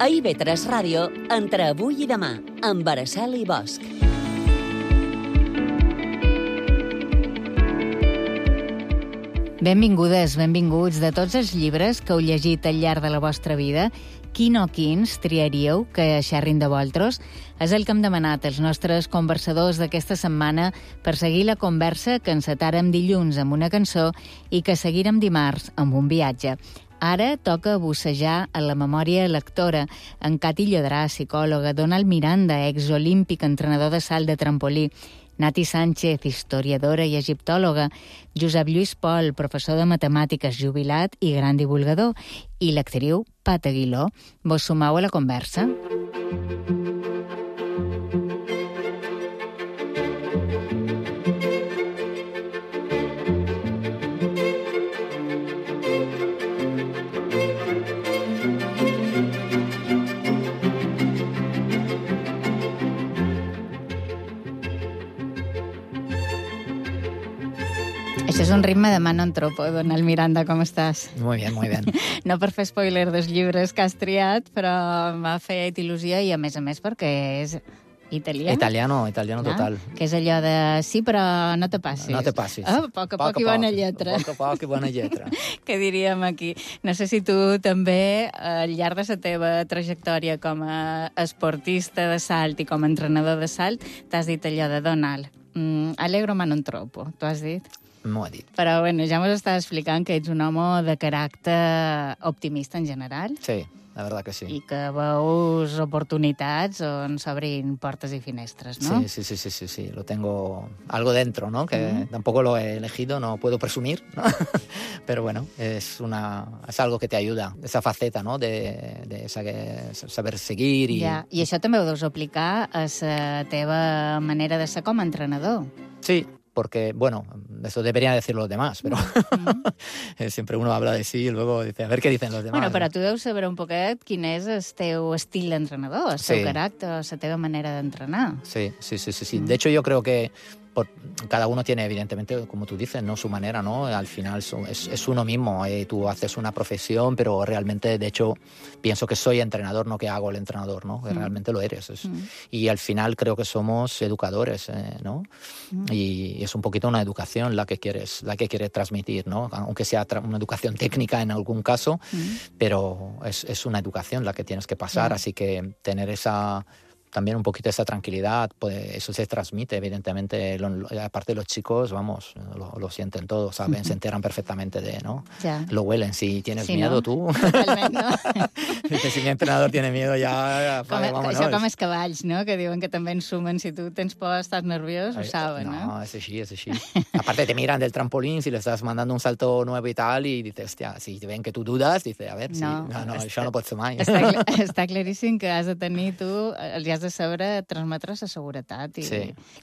A IB3 Ràdio, entre avui i demà, amb Araceli Bosch. Benvingudes, benvinguts. De tots els llibres que heu llegit al llarg de la vostra vida, quin o quins triaríeu que xerrin de vosaltres? És el que hem demanat als nostres conversadors d'aquesta setmana per seguir la conversa que encetàrem dilluns amb una cançó i que seguirem dimarts amb un viatge. Ara toca bussejar a la memòria lectora. En Cati Llodrà, psicòloga, Donald Miranda, exolímpic, entrenador de salt de trampolí, Nati Sánchez, historiadora i egiptòloga, Josep Lluís Pol, professor de matemàtiques jubilat i gran divulgador, i l'actriu Pat Aguiló. Vos sumau a la conversa? Això és un ritme de mano en tropo, Donald Miranda, com estàs? Muy bien, muy bien. No per fer spoiler dels llibres que has triat, però m'ha fet il·lusió i, a més, perquè és italià. Italiano total. Que és allò de sí, però no te passis. No te passis. A poc a poc i bona lletra. A poc i bona lletra. Que diríem aquí. No sé si tu també, al llarg de la teva trajectòria com a esportista de salt i com a entrenador de salt, t'has dit allò de Donald. Allegro ma non troppo, tu has dit? M'ho he dit. Però, bueno, ja m'ho estàs explicant que ets un home de caràcter optimista en general. Sí, la verdad que sí. I que veus oportunitats on s'obrin portes i finestres, ¿no? Sí. Lo tengo algo dentro, ¿no? Que tampoco lo he elegido, no puedo presumir, ¿no? Pero bueno, es algo que te ayuda. Esa faceta, ¿no? De saber seguir i... Ja. I això també ho deus aplicar a la teva manera de ser com a entrenador. Sí, porque, bueno, eso deberían decir los demás, pero siempre uno habla de sí y luego dice, a ver qué dicen los demás. Bueno, però tu deus saber un poquet quin és el teu estil d'entrenador, el teu caràcter, la teva manera d'entrenar. Sí. De hecho, yo creo que cada uno tiene, evidentemente, como tú dices, ¿no? Su manera, ¿no? Al final es uno mismo. Tú haces una profesión, pero realmente, de hecho, pienso que soy entrenador, no que hago el entrenador, ¿no? Que realmente lo eres. Y al final creo que somos educadores, ¿no? Y es un poquito una educación la que quieres transmitir, ¿no? Aunque sea una educación técnica en algún caso, pero es una educación la que tienes que pasar, así que tener también un poquito esa tranquilidad, pues eso se transmite, evidentemente, aparte los chicos, vamos, lo sienten todos, saben, se enteran perfectamente ¿no? Ya. Lo huelen, si tienes miedo, no? tú. Totalment, no? Si mi entrenador tiene miedo, ya vámonos. Això com els cavalls, no? Que diuen que també en sumen, si tu tens por, estàs nerviós, ho saben, no? No, es así. Aparte te miran del trampolín, si le estás mandando un salto nuevo y tal, y dices, hostia, si ven que tú dudas, dice, a ver, no, això no pot ser mai. Està claríssim que has de tenir tu, els has de saber transmetre la seguretat.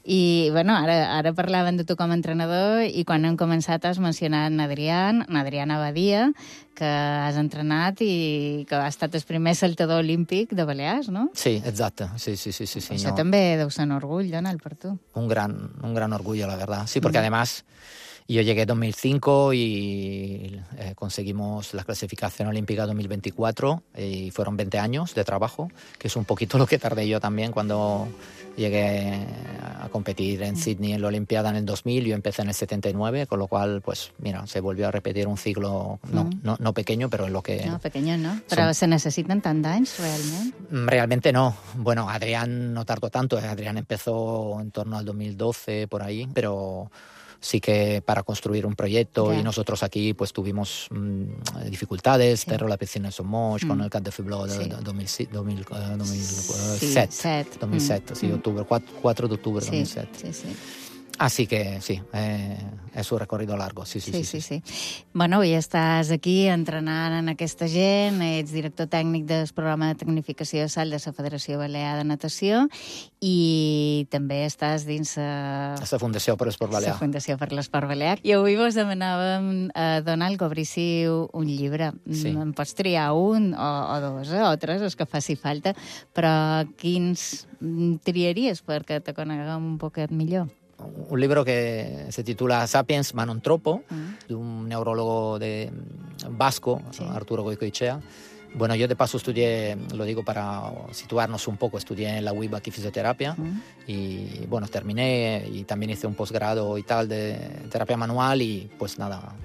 I bueno, ara parlaven de tu com a entrenador i quan hem començat has mencionat Adriana Badia, que has entrenat i que ha estat el primer saltador olímpic de Balears, no? Sí, exacte. Sí. Això també deu ser un orgull, Donald, per tu. Un gran orgullo, la verdad. Sí, porque además yo llegué en 2005 y conseguimos la clasificación olímpica 2024 y fueron 20 años de trabajo, que es un poquito lo que tardé yo también cuando llegué a competir en Sydney en la Olimpiada en el 2000. Yo empecé en el 79, con lo cual, pues mira, se volvió a repetir un ciclo no pequeño, pero en lo que... No, pequeño no. Però se necessiten tant d'anys, realment? Realmente no. Bueno, Adrián no tardó tanto. Adrián empezó en torno al 2012, por ahí, pero... sí que para construir un proyecto y nosotros aquí pues tuvimos dificultades, pero la piscina en Somosh con el Camp de Fiblo de 2007, octubre, 4 de octubre de 2007. Sí. Así que sí, és un recorrido largo, sí. Bueno, i estàs aquí entrenant en aquesta gent, ets director tècnic del programa de tecnificació de salt de la Federació Balear de Natació i també estàs dins la Fundació per l'Esport Balear. La Fundació per l'Esport Balear. I avui vos demanàvem a Donald que obríssiu un llibre. En pots triar un o dos o tres, els que faci falta, però quins triaries perquè te coneguem un poquet millor? Un libro que se titula Sapiens Manon Tropo, de un neurólogo vasco, Arturo Goicoechea, Bueno, yo de paso estudié, lo digo para situarnos un poco, estudié en la UIB aquí fisioterapia y bueno, terminé y también hice un posgrado y tal de terapia manual y pues nada,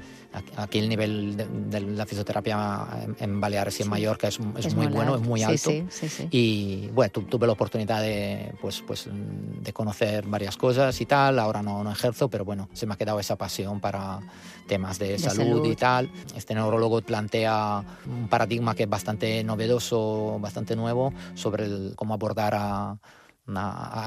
aquí el nivel de la fisioterapia en Baleares y en Mallorca es muy bueno, es muy alto. Sí. Y bueno, tuve la oportunidad de, pues, de conocer varias cosas y tal. Ahora no ejerzo, pero bueno, se me ha quedado esa pasión para temas de salud y tal. Este neurólogo plantea un paradigma que es bastante novedoso, bastante nuevo, sobre cómo abordar a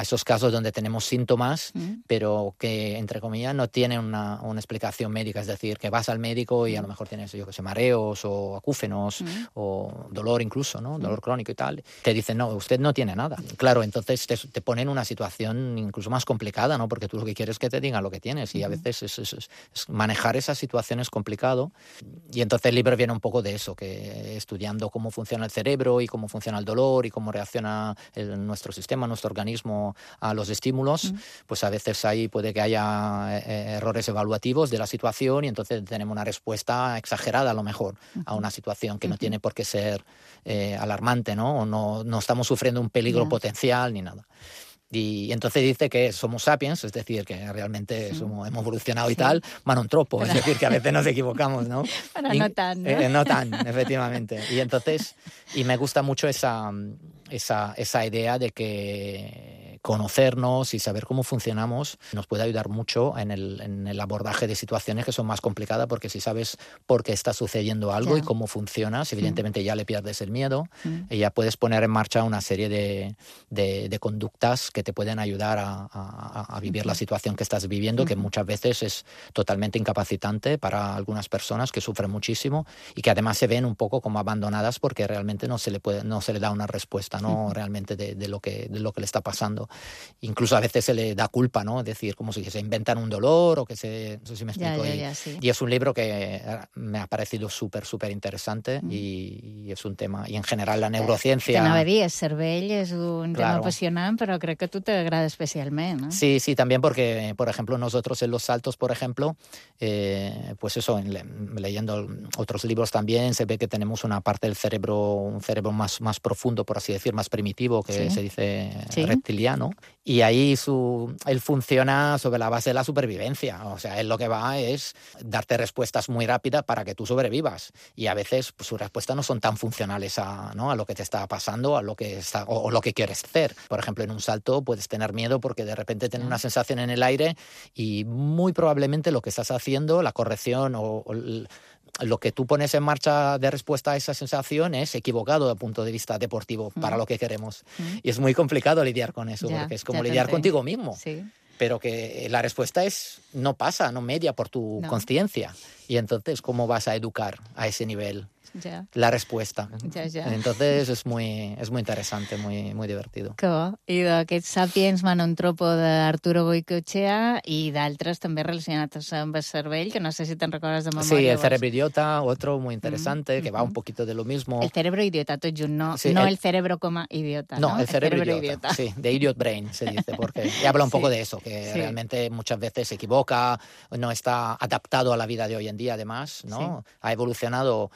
esos casos donde tenemos síntomas, pero que, entre comillas, no tienen una explicación médica. Es decir, que vas al médico y a lo mejor tienes, yo que sé, mareos o acúfenos o dolor incluso, ¿no? Dolor crónico y tal. Te dicen, no, usted no tiene nada. Claro, entonces te ponen en una situación incluso más complicada, ¿no? Porque tú lo que quieres es que te digan lo que tienes y a veces es manejar esa situación es complicado. Y entonces el libro viene un poco de eso, que estudiando cómo funciona el cerebro y cómo funciona el dolor y cómo reacciona nuestro sistema, nuestro organismo a los estímulos, pues a veces ahí puede que haya errores evaluativos de la situación y entonces tenemos una respuesta exagerada a lo mejor a una situación que no tiene por qué ser alarmante, ¿no? O no estamos sufriendo un peligro potencial ni nada. Y entonces dice que somos sapiens, es decir, que realmente hemos evolucionado y tal, ma non troppo, es decir, que a veces nos equivocamos, ¿no? Pero no tan, ¿no? No tan, efectivamente. Y entonces, me gusta mucho esa idea de que conocernos y saber cómo funcionamos nos puede ayudar mucho en el abordaje de situaciones que son más complicadas, porque si sabes por qué está sucediendo algo y cómo funcionas, evidentemente ya le pierdes el miedo y ya puedes poner en marcha una serie de conductas que te pueden ayudar a vivir la situación que estás viviendo, que muchas veces es totalmente incapacitante para algunas personas que sufren muchísimo y que además se ven un poco como abandonadas porque realmente no se le da una respuesta, ¿no? Realmente de lo que le está pasando. Incluso a veces se le da culpa, ¿no? Es decir, como si se inventan un dolor o que se... No sé si me explico. Y es un libro que me ha parecido súper interesante y es un tema... Y en general la neurociencia... T'anava a dir, el cervell és un tema apasionant, però crec que a tu t'agrada especialment, ¿no? Sí, también porque, por ejemplo, nosotros en los saltos, por ejemplo, pues eso, leyendo otros libros también, se ve que tenemos una parte del cerebro, un cerebro más profundo, por así decir, más primitivo, que se dice reptiliano, y ahí él funciona sobre la base de la supervivencia. O sea, él lo que va es darte respuestas muy rápidas para que tú sobrevivas, y a veces pues, sus respuestas no son tan funcionales a lo que te está pasando, a lo que o lo que quieres hacer. Por ejemplo, en un salto puedes tener miedo porque de repente tienes una sensación en el aire y muy probablemente lo que estás haciendo, la corrección o lo que tú pones en marcha de respuesta a esa sensación es equivocado desde el punto de vista deportivo para lo que queremos. Y es muy complicado lidiar con eso, porque es como lidiar contigo mismo. Sí. Pero que la respuesta no media por tu conciencia. Y entonces, ¿cómo vas a educar a ese nivel? La respuesta. Entonces es muy interesante, muy divertido. Que bo. I d'aquest Sapiens Manontropo d'Arturo Goicoechea i d'altres també relacionats amb el cervell, que no sé si te'n recordes de memòria. Sí, El cerebro idiota, otro muy interesante, que va un poquito de lo mismo. El cerebro idiota, tot junt, no el cerebro como idiota, ¿no? No, el cerebro idiota. Sí, de idiot brain se dice, porque habla un poco de eso, que realmente muchas veces se equivoca, no está adaptado a la vida de hoy en día, además, ¿no? Ha evolucionado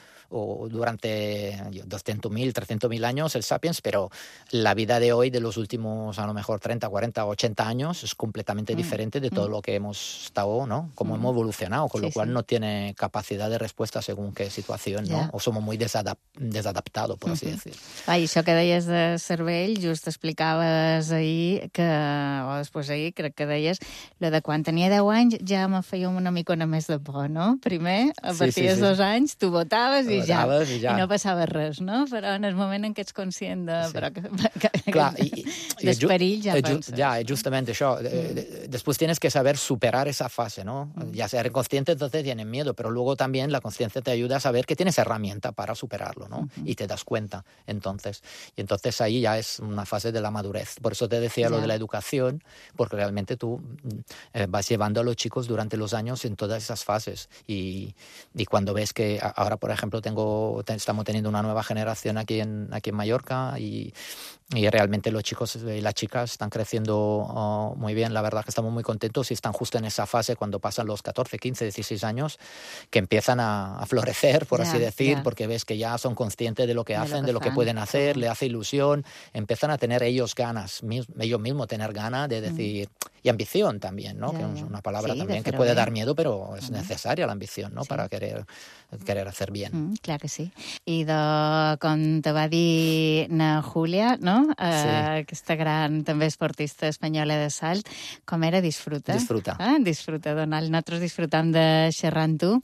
durante 200.000, 300.000 años el Sapiens, pero la vida de hoy, de los últimos a lo mejor 30, 40, 80 años, es completamente diferente de todo lo que hemos estado, ¿no? Como hemos evolucionado, con lo cual no tiene capacidad de respuesta según qué situación, ¿no? O somos muy desadaptados, por así decir. I això que deies de cervell, just explicaves ahir, o després ahir, crec que deies, lo de quan tenia 10 anys ja me feia una micona més de por, no? Primer, a partir dels 2 anys, tu votaves i ja. I no passava res, no? Però en el moment en què ets conscient del perill ja penses. Ya, justamente això. Después tienes que saber superar esa fase, ¿no? Ya ser consciente, entonces tienes miedo, pero luego también la conciencia te ayuda a saber que tienes herramienta para superarlo, ¿no? Y te das cuenta, entonces. Y entonces ahí ya es una fase de la madurez. Por eso te decía lo de la educación, porque realmente tú vas llevando a los chicos durante los años en todas esas fases. Y cuando ves que ahora, por ejemplo, tengo estamos teniendo una nueva generación aquí en Mallorca y realmente los chicos y las chicas están creciendo muy bien. La verdad que estamos muy contentos y están justo en esa fase cuando pasan los 14, 15, 16 años que empiezan a florecer, por así decir, porque ves que ya son conscientes de lo que hacen, de lo que pueden hacer, le hace ilusión, empiezan a tener ellos ganas, ellos mismos tener ganas de decir, y ambición también, ¿no? Que es una palabra también que puede dar miedo, però és necessària l'ambició, no? Per a querer hacer bien. Clar que sí. I com te va dir na Júlia, no? Aquesta gran també esportista espanyola de salt, com era Disfruta? Disfruta. Disfruta, Donald. Nosaltres disfrutam de xerrar amb tu.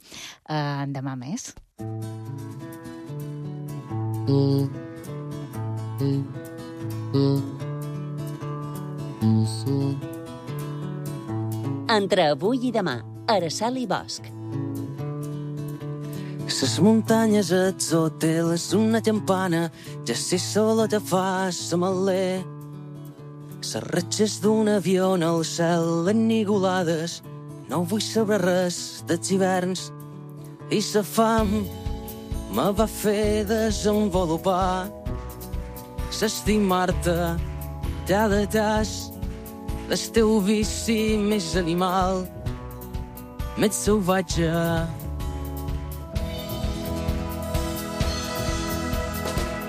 Demà més. Entre avui i demà, Araçal i Bosch. Ses muntanyes atzoteles, una campana, ja sé solo te fa samalé. Ses ratxes d'un avió en el cel enigolades, no vull saber res dels hiverns. I sa fam me va fer desenvolupar, s'estimar-te cada tas, el teu vici més animal, més salvatge.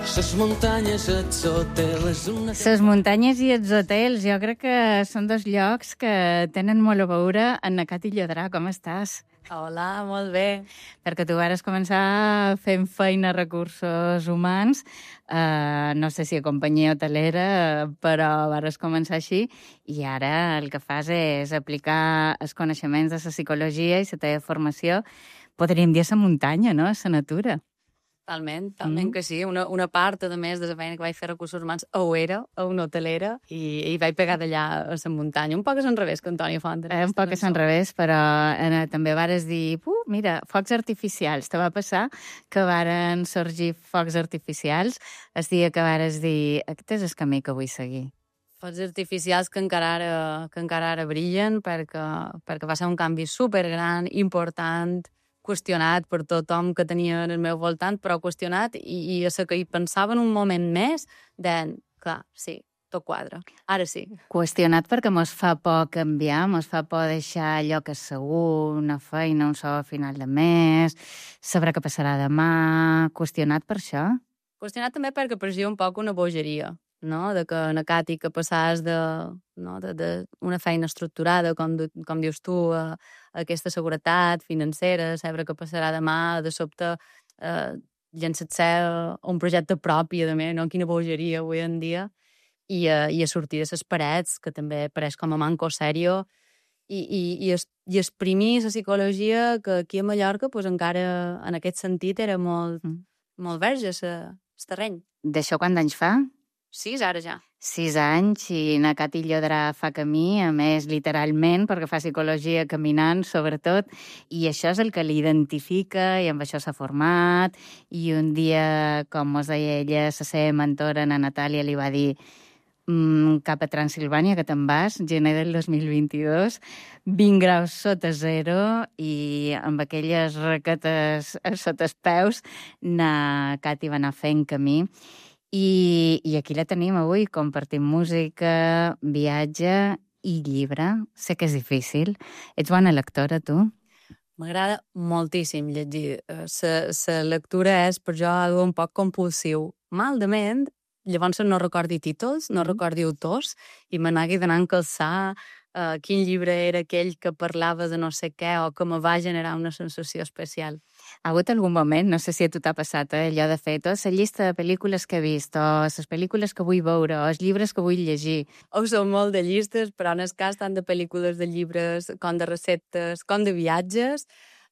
Ses muntanyes i els hotels... Ses muntanyes i els hotels, jo crec que són dos llocs que tenen molt a veure. Anna Cati Llodrà, com estàs? Hola, molt bé. Perquè tu vares començar fent feina a recursos humans, no sé si a companyia hotelera, però vares començar així, i ara el que fas és aplicar els coneixements de la psicologia i la teva formació, podríem dir a la muntanya, no? A la natura. Talment que sí. Una part, a més, de la feina que vaig fer recursos humans ho era, a una hotelera, i vaig pegar d'allà a la muntanya. Un poc a l'enrevés que Antònia Font. Un poc a l'enrevés, però també vares dir, mira, focs artificials. Te va passar que varen sorgir focs artificials el dia que vares dir, aquest és el camí que vull seguir. Focs artificials que encara ara brillen, perquè va ser un canvi supergran, important, qüestionat per tothom que tenia en el meu voltant, però qüestionat, i a la que hi pensava en un moment més, clar, sí, tot quadra, ara sí. Qüestionat perquè mos fa por canviar, mos fa por deixar allò que és segur, una feina, un sou a final de mes, saber què passarà demà, qüestionat per això? Qüestionat també perquè parecia un poc una bogeria, no? De que na Cati que passaves d'una feina estructurada, com dius tu, a aquesta seguretat financera, saber què passarà demà, de sobte llançar-se un projecte propi, a més, no? Quina bogeria avui en dia, i a sortir de les parets, que també pareix com a manco serio, i exprimir la psicologia que aquí a Mallorca pues, encara en aquest sentit era molt verge el terreny. D'això quants anys fa? 6 ara ja. 6 anys, i na Cati Llodrà fa camí, a més literalment, perquè fa psicologia caminant, sobretot, i això és el que l'identifica, i amb això s'ha format, i un dia, com mos deia ella, la seva mentora, na Natàlia, li va dir cap a Transilvània, que te'n vas, gener del 2022, 20 graus sota zero, i amb aquelles raquetes sota els peus, na Cati va anar fent camí. I aquí la tenim avui, compartim música, viatge i llibre. Sé que és difícil. Ets bona lectora, tu? M'agrada moltíssim llegir. La lectura és per jo algo un poc compulsiu. Maldament, llavors no recordi títols, no recordi autors, i me n'hagi d'anar a encalçar quin llibre era aquell que parlava de no sé què o que me va generar una sensació especial. Ha hagut algun moment, no sé si a tu t'ha passat, allò de fer tota la llista de pel·lícules que he vist, o les pel·lícules que vull veure, o els llibres que vull llegir. Som molt de llistes, però en el cas tant de pel·lícules, de llibres, com de receptes, com de viatges,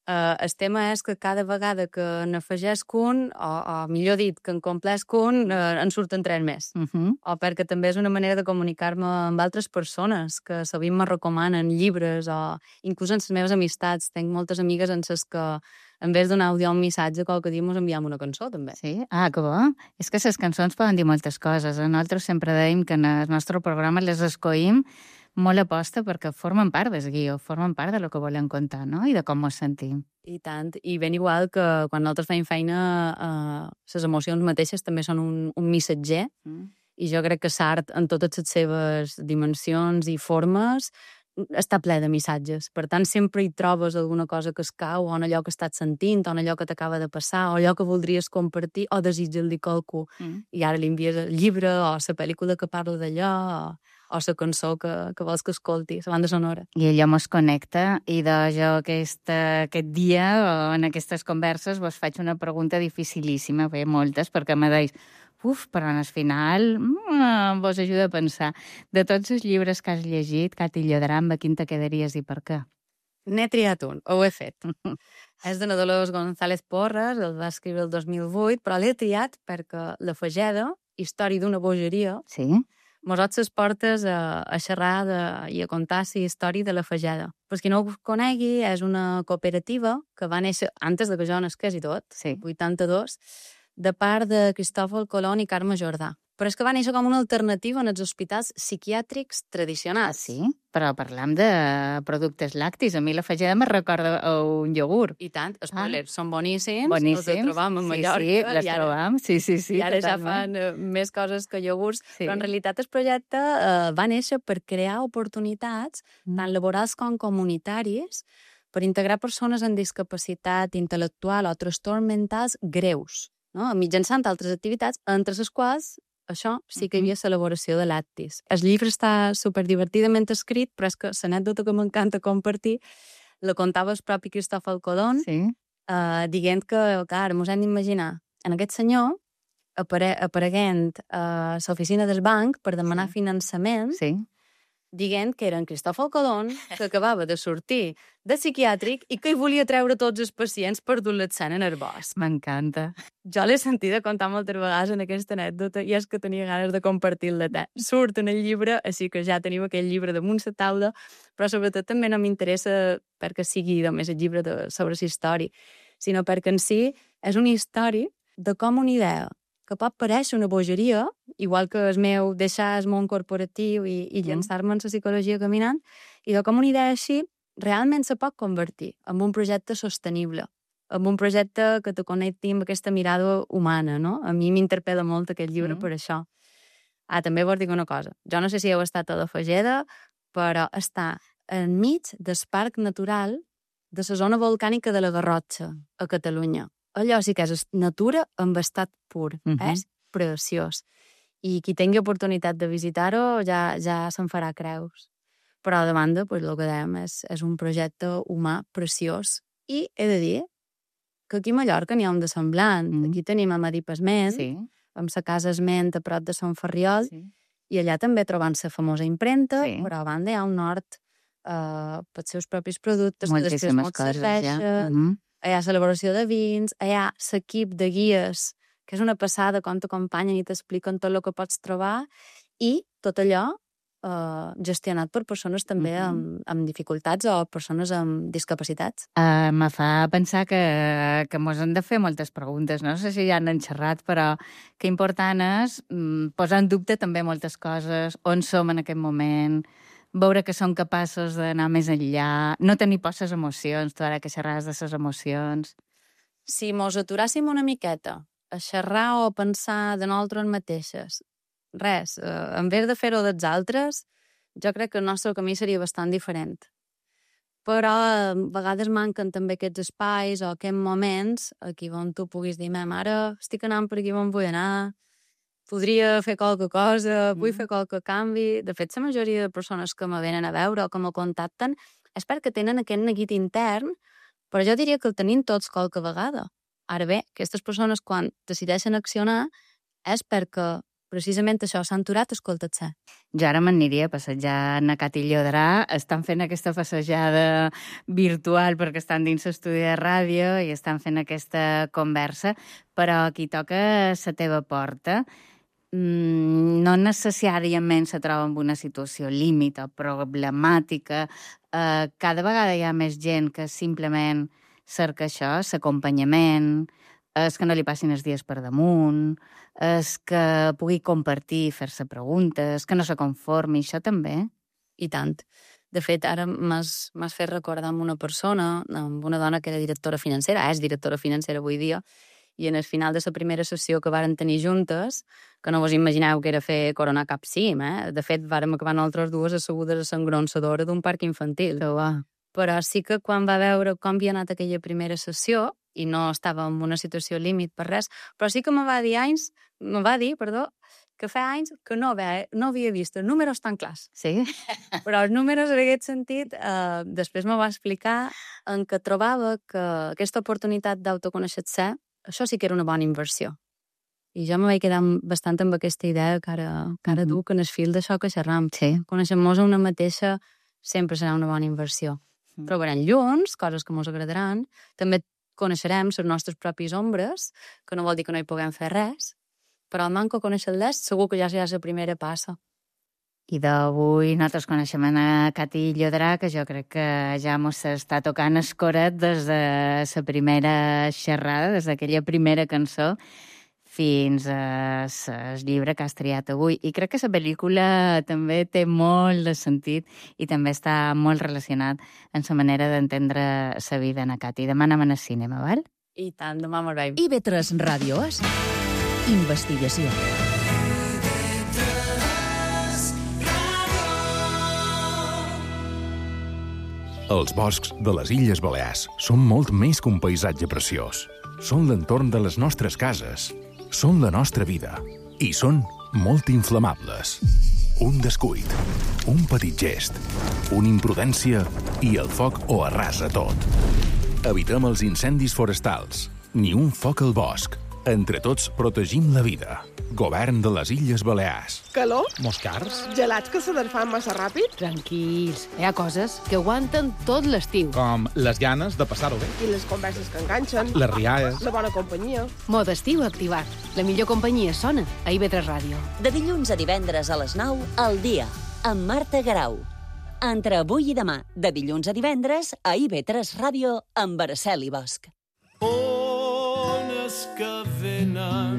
el tema és que cada vegada que n'afegesc un, o millor dit, que en complesc un, en surten 3 més. O perquè també és una manera de comunicar-me amb altres persones que sovint me recomanen llibres, o inclús en les meves amistats. Tenc moltes amigues en les que, en vez d'un àudio o un missatge, qualque dia mos enviem una cançó, també. Sí? Ah, que bo. És que les cançons poden dir moltes coses. Nosaltres sempre dèiem que en el nostre programa les escoïm molt aposta perquè formen part del guió, formen part de lo que volen contar, no? I de com ens sentim. I tant. I ben igual que quan nosaltres fem feina, les emocions mateixes també són un missatger, i jo crec que l'art, en totes les seves dimensions i formes, està ple de missatges. Per tant, sempre hi trobes alguna cosa que es cau, o en allò que estàs sentint, o en allò que t'acaba de passar, o allò que voldries compartir, o desitjar-li a qualcú. I ara li envies el llibre, o la pel·lícula que parla d'allò, o la cançó que vols que escolti, la banda sonora. I allò mos connecta, i de jo aquest dia, en aquestes converses, vos faig una pregunta dificilíssima, bé, moltes, perquè me deis, però al final vos ajuda a pensar. De tots els llibres que has llegit, Cati Llodrà, amb quin te quedaries i per què? N'he triat un, ho he fet. És de Dolors González Porras, el va escriure el 2008, però l'he triat perquè La Fageda, història d'una bogeria, mos les portes a xerrar i a contar la història de La Fageda. Per qui no ho conegui, és una cooperativa que va néixer antes de que jo nasqués i tot, 82, de part de Cristòfol Colón i Carme Jordà. Però és que va néixer com una alternativa en els hospitals psiquiàtrics tradicionals. Sí? Però parlam de productes lactis. A mi La Fageda me recorda un iogurt. I tant, spoilers, són boníssims. Boníssims. Els trobam a Mallorca. Sí, les trobam. Sí. I ara ja fan més coses que iogurts. Però en realitat el projecte va néixer per crear oportunitats, tant laborals com comunitàries, per integrar persones amb discapacitat intel·lectual o trastorns mentals greus, no? Mitjançant altres activitats, entre les quals això sí que hi havia l'elaboració de lactis. El llibre està superdivertidament escrit, però és que l'anècdota que m'encanta compartir la contava el propi Cristòfol Colón, dient que, clar, mos hem d'imaginar en aquest senyor apareguent a l'oficina del banc per demanar finançament, dient que era en Cristòfol Colón, que acabava de sortir de psiquiàtric i que hi volia treure tots els pacients per dur-les en el bosc. M'encanta. Jo l'he sentida contar moltes vegades en aquesta anècdota i és que tenia ganes de compartir-la. Surt en el llibre, així que ja tenim aquell llibre damunt la taula, però sobretot també no m'interessa perquè sigui només el llibre sobre la història, sinó perquè en si és una història de com una idea que pot parèixer una bogeria, igual que el meu deixar el món corporatiu i llançar-me en la psicologia caminant, i de com una idea així realment se pot convertir en un projecte sostenible, en un projecte que te connecti amb aquesta mirada humana, no? A mi m'interpel·la molt aquest llibre per això. També vos dic una cosa. Jo no sé si heu estat a La Fageda, però està enmig del parc natural de la zona volcànica de la Garrotxa, a Catalunya. Allò sí que és natura en estat pur. És preciós. I qui tingui oportunitat de visitar-ho ja se'n farà creus. Però a banda, el que dèiem, és un projecte humà preciós. I he de dir que aquí a Mallorca n'hi ha un de semblant. Aquí tenim a Madip Esment, amb la casa Esment a prop de Sant Ferriol, i allà també trobant la famosa impremta, però a banda hi ha un nord pels seus propis productes, que després molt serveixen. Hi ha celebració de vins, hi ha l'equip de guies, que és una passada quan t'acompanyen i t'expliquen tot el que pots trobar, i tot allò gestionat per persones també amb dificultats o persones amb discapacitats. Me fa pensar que mos hem de fer moltes preguntes. No sé si ja han xerrat, però que important és posar en dubte també moltes coses, on som en aquest moment, veure que som capaços d'anar més enllà, no tenir por les emocions, tu ara que xerraves de les emocions. Si mos aturàssim una miqueta a xerrar o a pensar de nosaltres mateixes, res, en vez de fer-ho dels altres, jo crec que el nostre camí seria bastant diferent. Però a vegades manquen també aquests espais o aquests moments aquí on tu puguis dir, ara estic anant per aquí on vull anar, podria fer qualque cosa, vull fer qualque canvi. De fet, la majoria de persones que me venen a veure o que me contacten és perquè tenen aquest neguit intern, però jo diria que el tenim tots qualque vegada. Ara bé, aquestes persones quan decideixen accionar és perquè precisament això s'han aturat a escoltar-se. Jo ara m'aniria a passejar a Cati Llodrà, estan fent aquesta passejada virtual perquè estan dins l'estudi de ràdio i estan fent aquesta conversa, però aquí toca la teva porta. No necessàriament se troba en una situació límit o problemàtica. Cada vegada hi ha més gent que simplement cerca això, l'acompanyament, és que no li passin els dies per damunt, és que pugui compartir, fer-se preguntes, que no se conformi, això també. I tant. De fet, ara m'has fet recordar amb una persona, amb una dona que era directora financera, és directora financera avui dia, i en el final de la primera sessió que varen tenir juntes, que no vos imagineu que era fer coronar cap cim, De fet, vàrem acabar nosaltres dues assegudes a l'engronsadora d'un parc infantil. Però sí que quan va veure com havia anat aquella primera sessió, i no estava en una situació límit per res, però sí que me va dir, que fa anys que no havia vist els números tan clars. Sí? Però els números, en aquest sentit, després me va explicar en què trobava que aquesta oportunitat d'autoconèixer-se, això sí que era una bona inversió. I jo me vaig quedar bastant amb aquesta idea que ara duc en el fil d'això que xerram. Sí. Conèixer-nos a una mateixa sempre serà una bona inversió. Trobarem llums, coses que ens agradaran, també coneixerem les nostres pròpies ombres, que no vol dir que no hi puguem fer res, però al manco conèixer-les segur que ja serà la primera passa. I d'avui nosaltres coneixem a Cati Llodrà, que jo crec que ja mos està tocant el coret des de la primera xerrada, des d'aquella primera cançó, fins al llibre que has triat avui. I crec que la pel·lícula també té molt de sentit i també està molt relacionat amb la manera d'entendre la vida, Ana Cati. Demà anem al cinema, val? I tant, demà me'n veiem. IB3 Ràdio és investigació. Els boscs de les Illes Balears són molt més que un paisatge preciós. Són l'entorn de les nostres cases. Són la nostra vida. I són molt inflamables. Un descuit, un petit gest, una imprudència i el foc ho arrasa tot. Evitem els incendis forestals. Ni un foc al bosc. Entre tots protegim la vida. Govern de les Illes Balears. Calor? Moscars? Gelats que se desfan massa ràpid? Tranquils, hi ha coses que aguanten tot l'estiu. Com les ganes de passar-ho bé. I les converses que enganxen? Les rialles. La bona companyia? Mode estiu activat. La millor companyia sona a IB3 Ràdio. De dilluns a divendres a les 9, al dia, amb Marta Garau. Entre avui i demà, de dilluns a divendres, a IB3 Ràdio, amb Araceli Bosch. Ones que venen,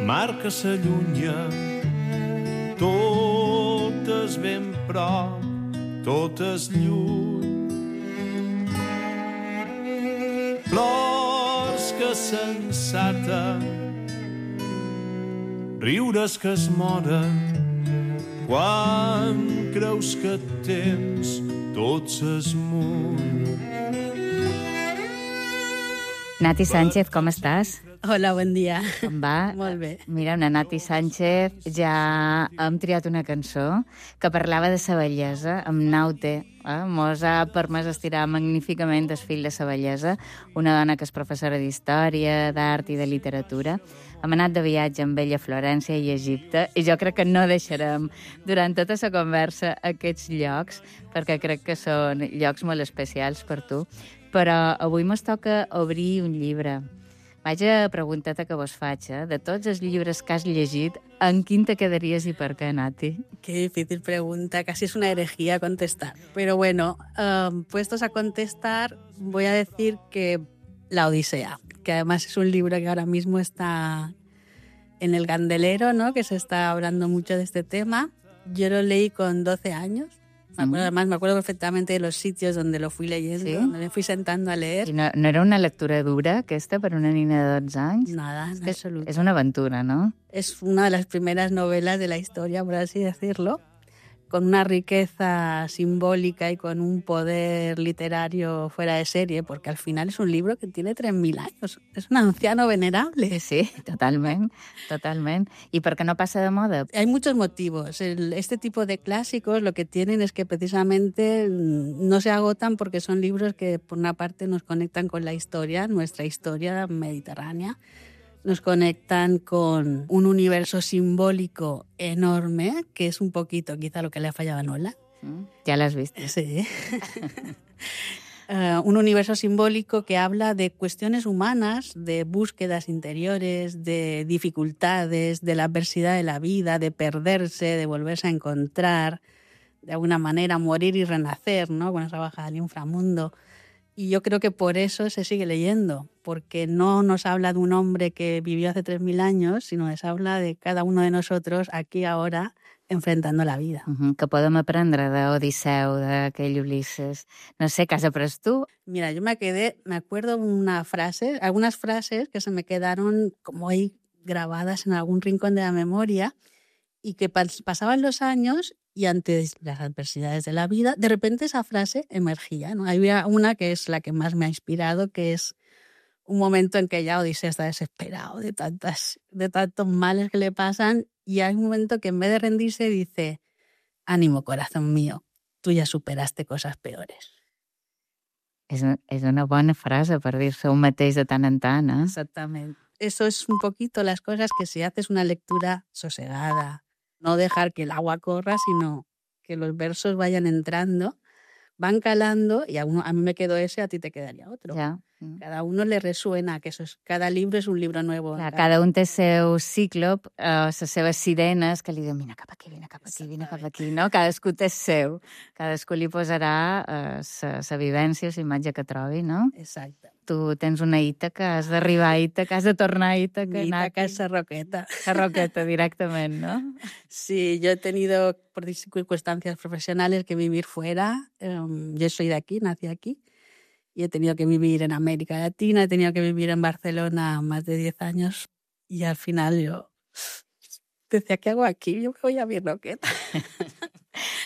mar que s'allunya, totes ben prop, totes lluny. Plors que s'ensaten, riures que es moren, quan creus que et temps tot s'esmuny. Nati Sánchez, com estàs? Hola, bon dia. Com va? Molt bé. Mira, una Nati Sánchez ja hem triat una cançó que parlava de sa bellesa, amb Naute. Mos ha permès estirar magníficament el fil de sa bellesa. Una dona que és professora d'història, d'art i de literatura. Hem anat de viatge amb ella a Florència i Egipte i jo crec que no deixarem durant tota la conversa aquests llocs perquè crec que són llocs molt especials per tu. Però avui mos toca obrir un llibre. Vaja pregunteta que vos faig, de tots els llibres que has llegit, en quin te quedaries y por qué, Nati? Qué difícil pregunta, casi es una herejía contestar. Pero bueno, puestos a contestar, voy a decir que La Odisea, que además es un libro que ahora mismo está en el candelero, ¿no? Que se está hablando mucho de este tema. Yo lo leí con 12 años. Además, me acuerdo perfectamente de los sitios donde lo fui leyendo, ¿sí? Donde me fui sentando a leer. I no era una lectura dura, aquesta, per una nina de 12 anys? Nada, en absoluto. És una aventura, ¿no? Es una de las primeras novelas de la historia, por así decirlo, con una riqueza simbólica y con un poder literario fuera de serie, porque al final es un libro que tiene 3.000 años. Es un anciano venerable. Sí, totalment, totalment. ¿Y por qué no pasa de moda? Hay muchos motivos. Este tipo de clásicos lo que tienen es que precisamente no se agotan porque son libros que, por una parte, nos conectan con la historia, nuestra historia mediterránea, nos conectan con un universo simbólico enorme, que es un poquito quizá lo que le ha fallado a Nola. Ya lo has visto. Sí. Un universo simbólico que habla de cuestiones humanas, de búsquedas interiores, de dificultades, de la adversidad de la vida, de perderse, de volverse a encontrar, de alguna manera morir y renacer, ¿no? Con esa bajada al inframundo. Y yo creo que por eso se sigue leyendo, porque no nos habla de un hombre que vivió hace 3.000 años, sino nos habla de cada uno de nosotros aquí ahora, enfrentando la vida. Que podem aprendre d'Odisseu, d'aquell Ulises. No sé, ¿qué has après tú? Mira, yo me acuerdo algunas frases que se me quedaron como ahí grabadas en algún rincón de la memoria y que pasaban los años y ante las adversidades de la vida, de repente esa frase emergía, ¿no? Había una que es la que más me ha inspirado, que es un momento en que ya Odiseo está desesperado de tantos males que le pasan, y hay un momento que en vez de rendirse dice: ánimo, corazón mío, tú ya superaste cosas peores. És una bona frase per dir-se un mateix de tant en tant, ¿eh? Exactamente. Eso es un poquito las cosas que si haces una lectura sosegada, no dejar que el agua corra, sino que los versos vayan entrando, van calando, y a mí me quedó ese, a ti te quedaría otro. Ja. Cada uno le resuena, que cada libro és un libro nuevo. Clar, cada un té seu cíclop, les seves sirenes, que li diuen vine cap aquí, vine cap aquí, vine cap aquí, no? Cadascú té seu. Cadascú li posarà la vivència o la imatge que trobi, no? Exacte. Tu tens una Ítaca, has d'arribar a Ítaca, has de tornar a Ítaca. Ítaca és Sarroqueta. Sarroqueta directament, ¿no? Sí, yo he tenido, por circunstancias profesionales, que vivir fuera. Yo soy de aquí, nací aquí. Y he tenido que vivir en América Latina, he tenido que vivir en Barcelona más de 10 años. Y al final yo decía, ¿qué hago aquí? Yo me voy a Birroqueta.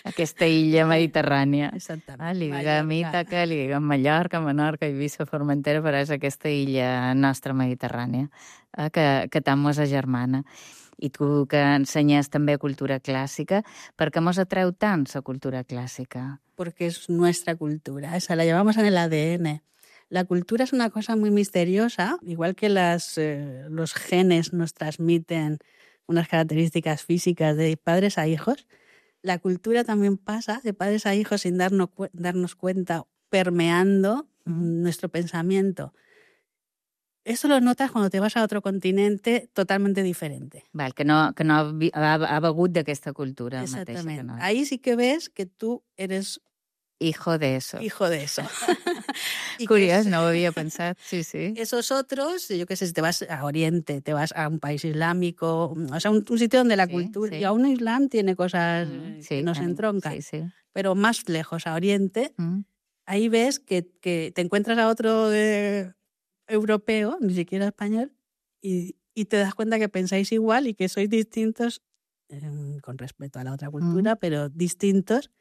Aquesta illa mediterrània. Exactament. Li diguem Ítaca, li diguem Mallorca, Menorca, Eivissa, Formentera, però és aquesta illa nostra mediterrània que tant mos agermana. I tu que ensenyes també cultura clàssica, per què mos atreu tant la cultura clàssica? Porque es nuestra cultura, esa la llevamos en el ADN. La cultura es una cosa muy misteriosa, igual que los genes nos transmiten unas características físicas de padres a hijos. La cultura también pasa de padres a hijos sin darnos cuenta, permeando nuestro pensamiento. Eso lo notas cuando te vas a otro continente totalmente diferente. Val, que no ha begut d'aquesta cultura. Exactamente. Mateixa. No. Ahí sí que ves que tú eres hijo de eso. Hijo de eso. Curiós, no ho havia pensat, sí, sí. Esos otros, yo qué sé, si te vas a Oriente, te vas a un país islámico, o sea, un sitio donde la cultura... Sí. Y aún Islam tiene cosas que nos entroncan. Sí, sí. Pero más lejos, a Oriente, ahí ves que te encuentras a otro europeo, ni siquiera español, y te das cuenta que pensáis igual y que sois distintos, con respeto a la otra cultura, pero distintos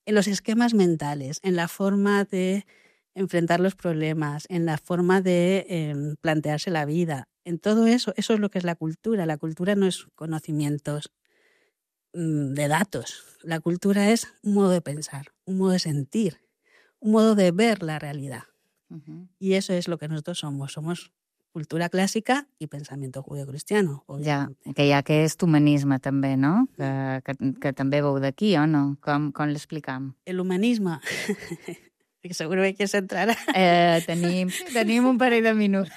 en los esquemas mentales, en la forma de enfrentar los problemas, en la forma de plantearse la vida. En todo eso, eso es lo que es la cultura. La cultura no es conocimientos de datos. La cultura es un modo de pensar, un modo de sentir, un modo de ver la realidad. Y eso es lo que nosotros somos. Somos cultura clàssica i pensamiento judeocristiano. Ja, que hi ha aquest humanisme també, no? Que també veu d'aquí, o no? Com l'explicam? El humanisme, que seguro que quieres entrar. Tenim un parell de minuts.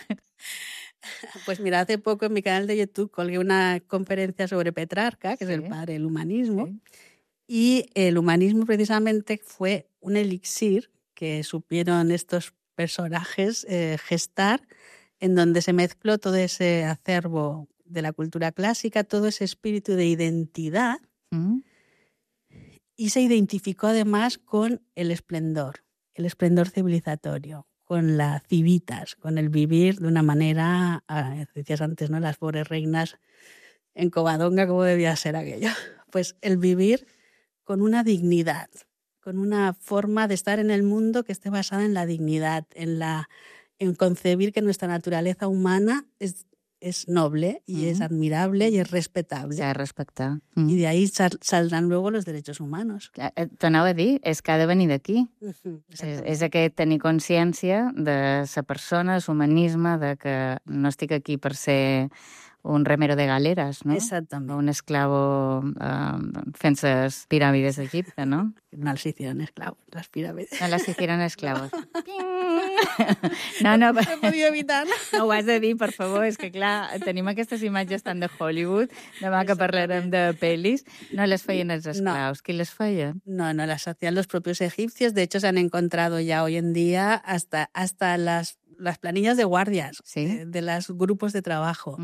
Pues mira, hace poco en mi canal de YouTube colgué una conferencia sobre Petrarca, que es el padre del humanismo, y el humanismo precisamente fue un elixir que supieron estos personajes gestar, en donde se mezcló todo ese acervo de la cultura clásica, todo ese espíritu de identidad, y se identificó además con el esplendor civilizatorio, con la civitas, con el vivir de una manera, decías antes, ¿no? Las pobres reinas en Covadonga, ¿cómo debía ser aquello? Pues el vivir con una dignidad, con una forma de estar en el mundo que esté basada en la dignidad, en concebir que nuestra naturaleza humana es noble y es admirable y es respetable. S'ha de respectar. Y de ahí saldrán luego los derechos humanos. T'anava a dir, és que ha de venir d'aquí. És aquest tenir consciència de la persona, de l'humanisme, de que no estic aquí per ser un remero de galeres, no? Exactament. Un esclavo fent les piràmides d'Egipte, no? No les hicieron esclavos, las pirámides. No les hicieron esclavos. No he podido evitar. No ho has de dir, per favor, és que clar, tenim aquestes imatges tant de Hollywood, demà que parlarem de pel·lis, no les feien els esclaus. Qui les feia? No, las hacían los propios egipcios. De hecho, se han encontrado ya hoy en día hasta las planillas de guardias de los grupos de trabajo.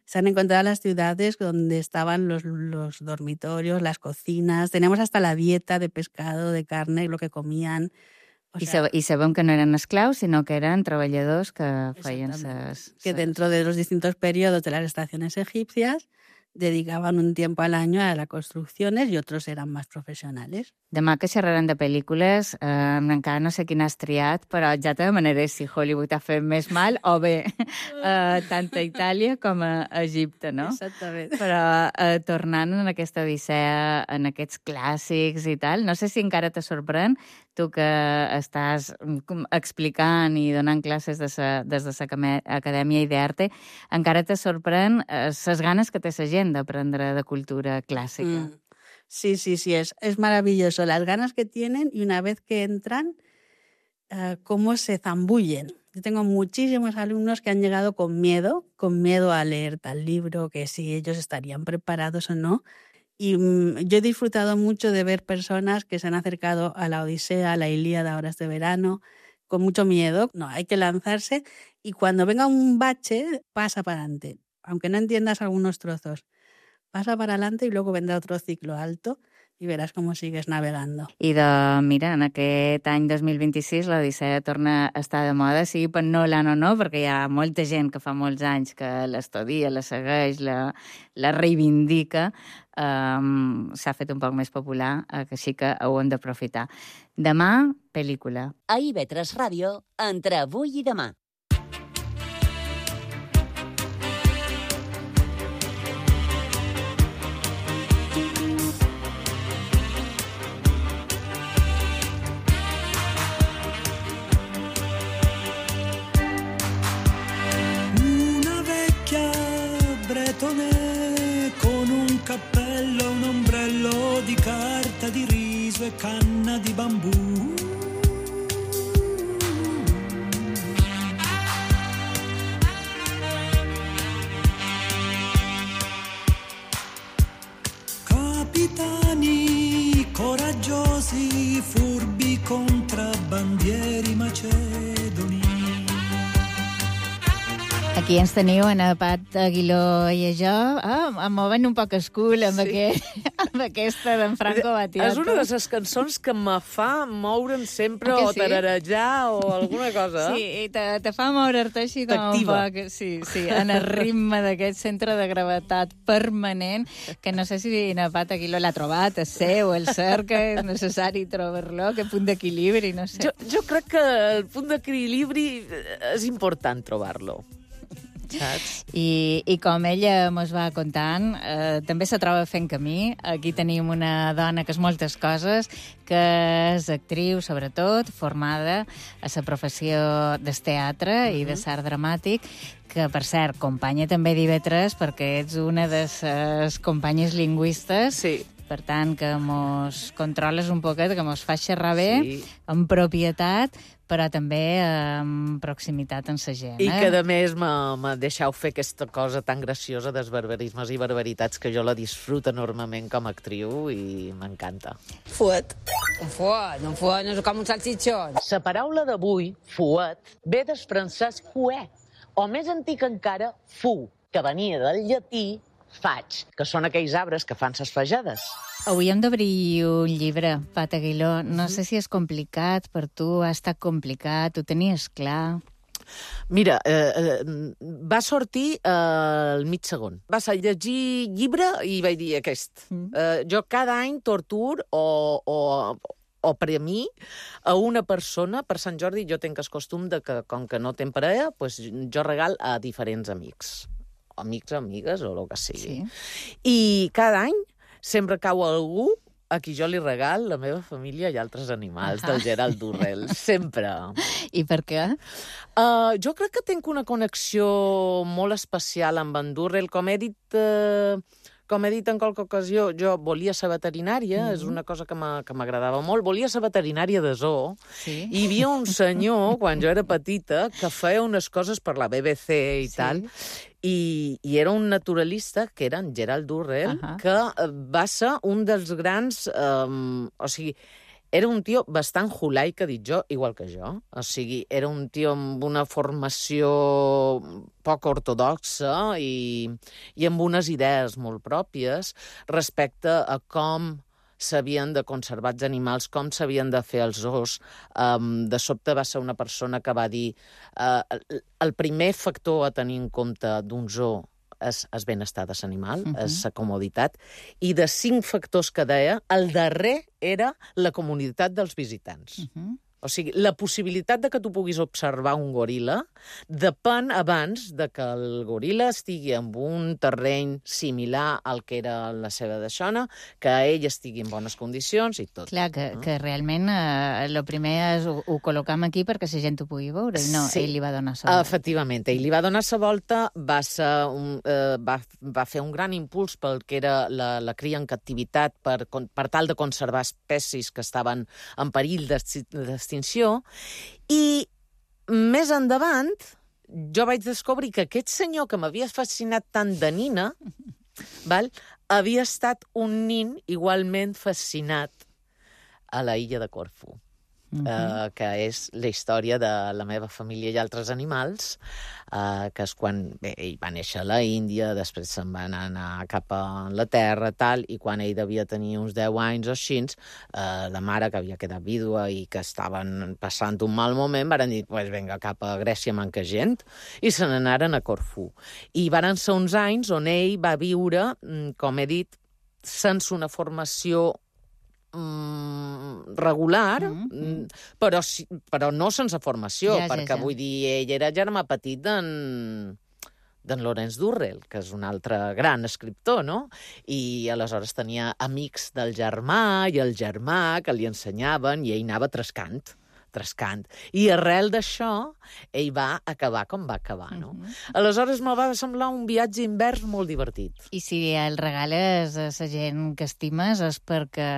Se han encontrado las ciudades donde estaban los dormitorios, las cocinas. Tenemos hasta la dieta de pescado, de carne, lo que comían. I sabem que no eren esclaus, sinó que eren treballadors que feien que dentro de los distintos periodos de las estaciones egipcias dedicaban un tiempo al año a las construcciones y otros eran más profesionales. Demà que xerrarem de pel·lícules, encara no sé quina has triat, però ja te demanaré si Hollywood ha fet més mal o bé tant a Itàlia com a Egipte, no? Exactament. Però tornant en aquesta odissea, en aquests clàssics i tal, no sé si encara te sorprèn, tu que estàs explicant i donant classes des de l'Acadèmia Idearte, encara te sorprèn les ganes que té la gent d'aprendre de cultura clàssica. Sí, es maravilloso. Las ganas que tienen y una vez que entran, cómo se zambullen. Yo tengo muchísimos alumnos que han llegado con miedo a leer tal libro, que si ellos estarían preparados o no. Y yo he disfrutado mucho de ver personas que se han acercado a la Odisea, a la Ilíada, ahora este verano, con mucho miedo. No, hay que lanzarse y cuando venga un bache, pasa para adelante. Aunque no entiendas algunos trozos, pasa para adelante y luego vendrá otro ciclo alto y verás cómo sigues navegando. I mira, en aquest any 2026 l'Odissea torna a estar de moda, sigui per Nolan o no, perquè hi ha molta gent que fa molts anys que l'estudia, la segueix, la reivindica, s'ha fet un poc més popular, així que ho hem d'aprofitar. Demà, pel·lícula. A IB3 Ràdio, entre avui i demà. Con un cappello, un ombrello di carta di riso e canna di bambù. Capitani coraggiosi, furbi contrabbandieri macedoni. Aquí ens teniu en Pat Aguiló i a jo, movent un poc escul amb aquesta d'en Franco Battiato. És una de les cançons que me fa moure'm sempre o tararejar o alguna cosa. Sí, i te fa moure'l-te així com un poc, sí, en el ritme d'aquest centre de gravetat permanent, que no sé si en Pat Aguiló l'ha trobat, el seu, el cerca, és necessari trobar-lo, que punt d'equilibri, no sé. Jo crec que el punt d'equilibri és important trobar-lo. Saps? I com ella mos va contant, també se troba fent camí. Aquí tenim una dona que és moltes coses, que és actriu, sobretot, formada a la professió del teatre i de l'art dramàtic, que, per cert, companya també d'IV3, perquè ets una de les companyes lingüistes. Sí. Per tant, que mos controles un poquet, que mos fa xerrar bé, amb propietat, però també amb proximitat amb la gent. I que, a més, me deixeu fer aquesta cosa tan graciosa dels barbarismes i barbaritats que jo la disfruto enormement com a actriu i m'encanta. Fuet. Un fuet no és com un salsitxon. La paraula d'avui, fuet, ve del francès fuet, o més antic encara, fu, que venia del llatí faig, que són aquells arbres que fan ses fajades. Avui hem d'obrir un llibre, Pat Aguiló. No sé si és complicat per tu, ha estat complicat, ho tenies clar? Mira, va sortir al mig segon. Vas a llegir llibre i vaig dir aquest. Jo cada any tortur o premir a una persona. Per Sant Jordi jo tinc el costum de que, com que no tenc parella, pues jo regal a diferents amics. Amics, amigues o el que sigui. Sí. I cada any sempre cau algú a qui jo li regal la meva família i altres animals, del Gerald Durrell. Sempre. I per què? Jo crec que tinc una connexió molt especial amb en Durrell. Com he dit en qualque ocasió, jo volia ser veterinària, és una cosa que m'agradava molt. Volia ser veterinària de zoo. Sí. I hi havia un senyor, quan jo era petita, que feia unes coses per la BBC i tal, i era un naturalista, que era en Gerald Durrell, que va ser un dels grans... o sigui, era un tio bastant hulai, que he dit jo, igual que jo. O sigui, era un tio amb una formació poc ortodoxa i amb unes idees molt pròpies respecte a com s'havien de conservar els animals, com s'havien de fer els zoos. De sobte va ser una persona que va dir el primer factor a tenir en compte d'un zoo és benestar de l'animal, és la comoditat, i de 5 factors que deia, el darrer era la comunitat dels visitants. O sigui, la possibilitat de que tu puguis observar un goril·la depèn abans de que el goril·la estigui en un terreny similar al que era la seva deixona, que ell estigui en bones condicions i tot. Clar, que realment el primer és ho col·locam aquí perquè la gent ho pugui veure, i no, ell li va donar la volta. Efectivament, ell li va donar la volta, va fer un gran impuls pel que era la cria en captivitat per tal de conservar espècies que estaven en perill d'extinció, i més endavant jo vaig descobrir que aquest senyor que m'havia fascinat tant de nina havia estat un nin igualment fascinat a la illa de Corfú, que és la història de la meva família i altres animals, que és quan ell va néixer a la Índia, després se'n van anar cap a Anglaterra, tal, i quan ell devia tenir uns 10 anys o així, la mare, que havia quedat vídua i que estaven passant un mal moment, van dir, pues vinga, cap a Grècia manca gent, i se n'anaren a Corfú. I van ser uns anys on ell va viure, com he dit, sense una formació regular, però no sense formació, perquè vull dir, ell era germà petit d'en Lawrence Durrell, que és un altre gran escriptor, no? I aleshores tenia amics del germà i el germà que li ensenyaven i ell anava trescant. I arrel d'això, ell va acabar com va acabar, no? Aleshores me va semblar un viatge invers molt divertit. I si el regales a la gent que estimes és perquè,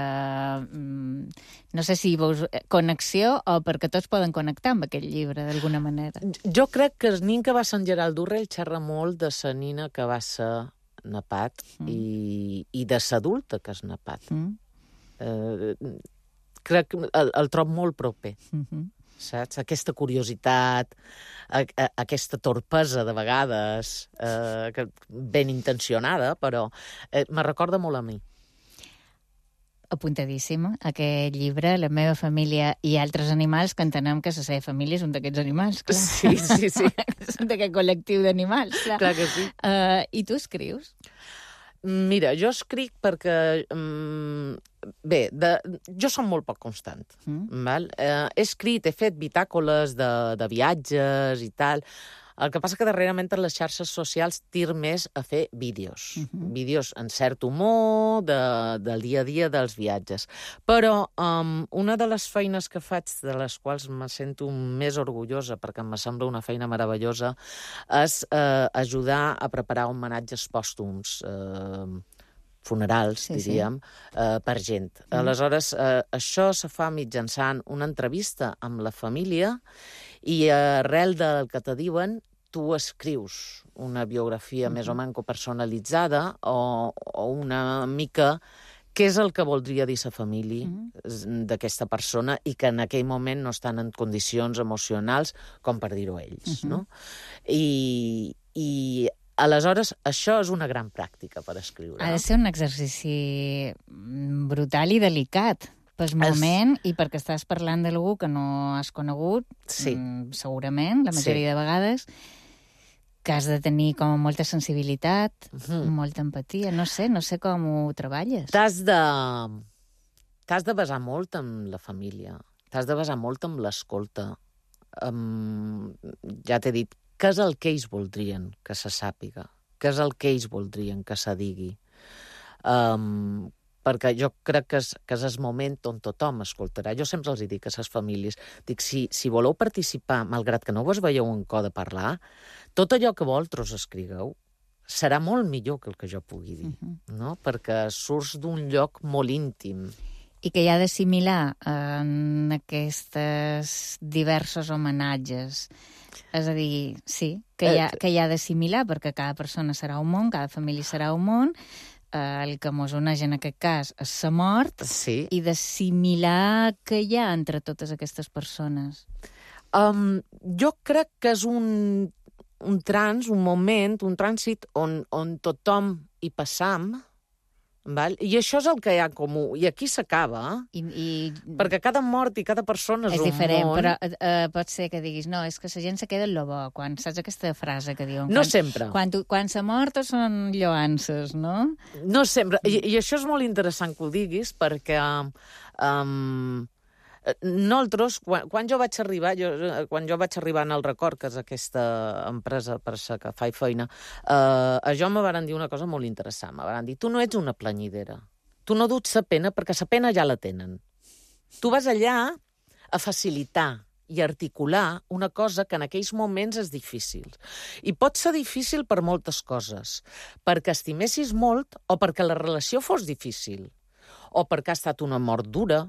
no sé si veus connexió o perquè tots poden connectar amb aquest llibre, d'alguna manera. Jo crec que el nin que va ser en Gerald Durrell xerra molt de la nina que va ser napat i de l'adulta que és napat. Crec que el trob molt proper, saps? Aquesta curiositat, aquesta torpesa de vegades, ben intencionada, però me recorda molt a mi. Apuntadíssima, aquest llibre, La meva família i altres animals, que entenem que la seva família és un d'aquests animals, clar. Sí. És un d'aquest col·lectiu d'animals, clar. Clar que sí. I tu escrius? Mira, jo escric perquè... jo som molt poc constant. He escrit, he fet bitàcoles de viatges i tal. El que passa que darrerament per les xarxes socials tir més a fer vídeos. Vídeos en cert humor, del dia a dia dels viatges. Però una de les feines que faig, de les quals me sento més orgullosa, perquè em sembla una feina meravellosa, és ajudar a preparar homenatges pòstums, funerals, diríem, per gent. Aleshores, això se fa mitjançant una entrevista amb la família i arrel del que te diuen, tu escrius una biografia més o menys personalitzada o una mica què és el que voldria dir la família d'aquesta persona i que en aquell moment no estan en condicions emocionals com per dir-ho ells, no? I aleshores, això és una gran pràctica per escriure. Ha de ser un exercici brutal i delicat pel moment i perquè estàs parlant d'algú que no has conegut, segurament, la majoria de vegades, que has de tenir com molta sensibilitat, molta empatia. No sé com ho treballes. T'has de basar molt en la família, t'has de basar molt en l'escolta. Ja t'he dit, què és el que ells voldrien que se sàpiga? Què és el que ells voldrien que se digui? Perquè jo crec que és el moment on tothom escoltarà. Jo sempre els dic a les famílies, dic, si voleu participar, malgrat que no vos veieu en co de parlar, tot allò que vosaltres escrigueu serà molt millor que el que jo pugui dir, no? Perquè surts d'un lloc molt íntim. I que hi ha d'assimilar en aquests diversos homenatges. És a dir, sí, que hi ha d'assimilar, perquè cada persona serà un món, cada família serà un món, el que mos uneix en aquest cas és la mort, sí, i d'assimilar què hi ha entre totes aquestes persones. Jo crec que és un moment, un trànsit on tothom hi passam, val? I això és el que hi ha comú. I aquí s'acaba, perquè cada mort i cada persona és un diferent, món. però pot ser que diguis, no, és que la gent se queda en lo bo, quan saps aquesta frase que diuen? No sempre. Quan s'ha mort són lloances, no? No sempre. I això és molt interessant que ho diguis, perquè nosaltres, quan jo vaig arribar en el Record, que és aquesta empresa per la que faig feina, a jo me varen dir una cosa molt interessant. Me varen dir, tu no ets una planyidera. Tu no duts la pena perquè la pena ja la tenen. Tu vas allà a facilitar i articular una cosa que en aquells moments és difícil. I pot ser difícil per moltes coses. Perquè estimessis molt o perquè la relació fos difícil. O perquè ha estat una mort dura,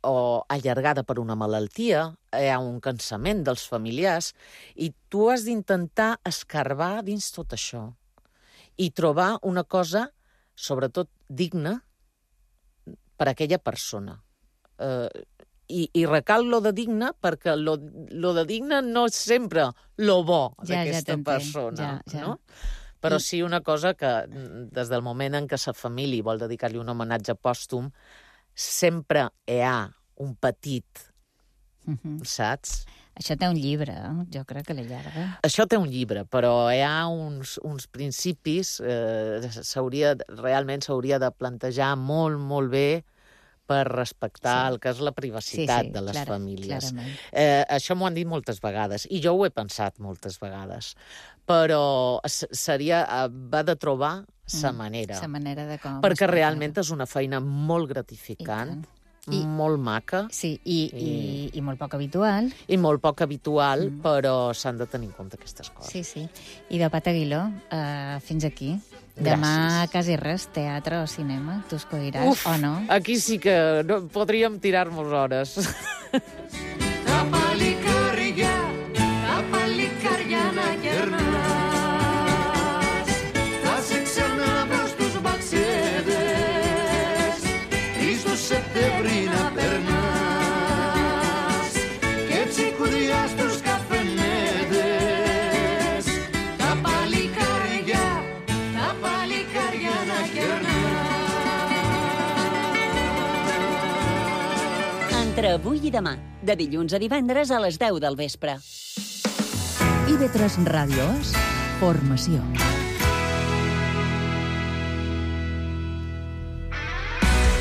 o allargada per una malaltia, hi ha un cansament dels familiars, i tu has d'intentar escarbar dins tot això i trobar una cosa, sobretot, digna per a aquella persona. I recal lo de digna, perquè lo de digna no és sempre lo bo d'aquesta persona, no? Però sí una cosa que, des del moment en què la família vol dedicar-li un homenatge pòstum, sempre hi ha un petit, saps? Això té un llibre, jo crec que l'allarga. Això té un llibre, però hi ha uns principis, realment s'hauria de plantejar molt, molt bé per respectar el que és la privacitat de les famílies. Això m'ho han dit moltes vegades, i jo ho he pensat moltes vegades, però va de trobar sa manera. Sa manera de com. Perquè realment és una feina molt gratificant, molt maca. Sí, i molt poc habitual. I molt poc habitual, però s'han de tenir en compte aquestes coses. Sí, sí. I de Pat Aguiló, fins aquí. Demà quasi res, teatre o cinema, tu escolliràs, o no? Aquí sí que podríem tirar-nos hores. Entre avui i demà, de dilluns a divendres a les 10 del vespre. IB3 Ràdio és formació.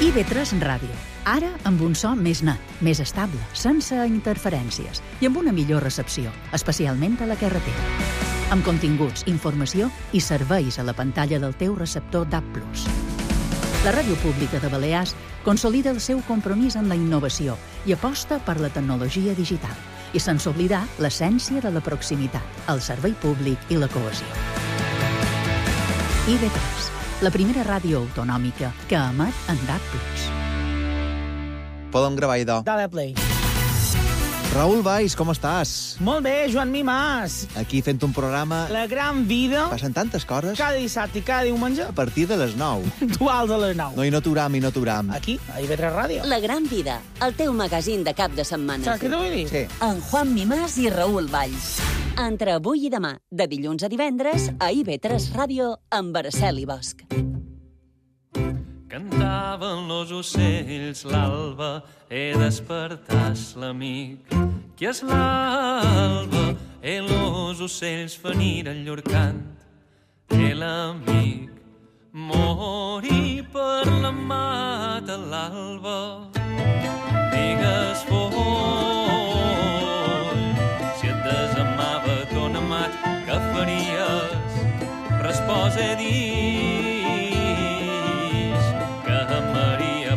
IB3 Ràdio. Ara amb un so més net, més estable, sense interferències i amb una millor recepció, especialment a la carretera. Amb continguts, informació i serveis a la pantalla del teu receptor DAB+. La Ràdio Pública de Balears consolida el seu compromís en la innovació i aposta per la tecnologia digital, i sense oblidar l'essència de la proximitat, el servei públic i la cohesió. IB3, la primera ràdio autonòmica que emet en DAB+. Podem gravar, idò. Dale play. Raül Valls, com estàs? Molt bé, Joan Mimàs. Aquí fent un programa... La gran vida. Passen tantes coses. Cada dissabte i cada diumenge. A partir de les 9. Duals a les 9. No, i no t'uram. Aquí, a IB3 Ràdio. La gran vida, el teu magazín de cap de setmana. Saps què t'ho vull dir? Sí. En Juan Mimàs i Raül Valls. Entre avui i demà, de dilluns a divendres, a IB3 Ràdio, amb Araceli Bosch. Cantaven los ocells l'alba, despertàs l'amic. Que és l'alba, los ocells feniren llur cant. L'amic morí per la mata l'alba. Digues foll, si et desamava ton amat, què faries? Resposa dit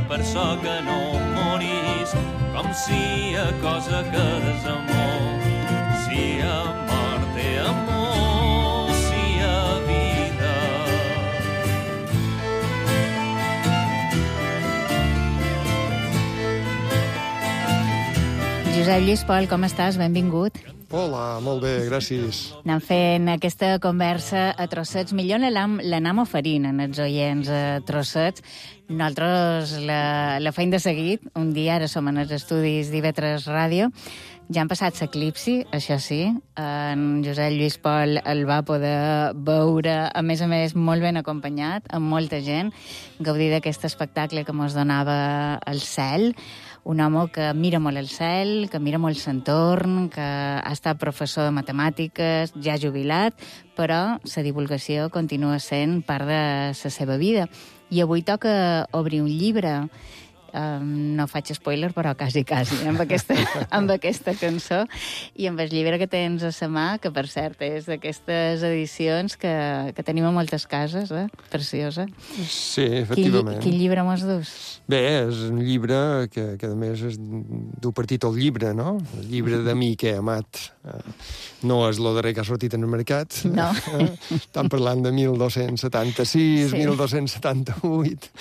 per so que no morís, com si a cosa que desamor, si a mort té amor, si a vida. Josep Lluís Pol, com estàs? Benvingut. Hola, molt bé, gràcies. Anem fent aquesta conversa a trossets. Millor l'anem oferint en els oients a trossets. Nosaltres la feim de seguit. Un dia, ara som en els estudis d'IV3 Ràdio. Ja han passat l'eclipsi, això sí. En Josep Lluís Pol el va poder veure, a més, molt ben acompanyat, amb molta gent, gaudir d'aquest espectacle que mos donava el cel. Un home que mira molt el cel, que mira molt l'entorn, que ha estat professor de matemàtiques, ja jubilat, però la divulgació continua sent part de la seva vida. I avui toca obrir un llibre. No faig spoiler, però quasi, amb aquesta cançó. I amb el llibre que tens a la mà, que per cert és d'aquestes edicions que tenim a moltes cases, preciosa. Sí, efectivament. Quin llibre mos dus? Bé, és un llibre que a més du per títol llibre, no? El llibre de mi que he amat. No és el darrer que ha sortit en el mercat. No. Estan parlant de 1276, sí. 1278,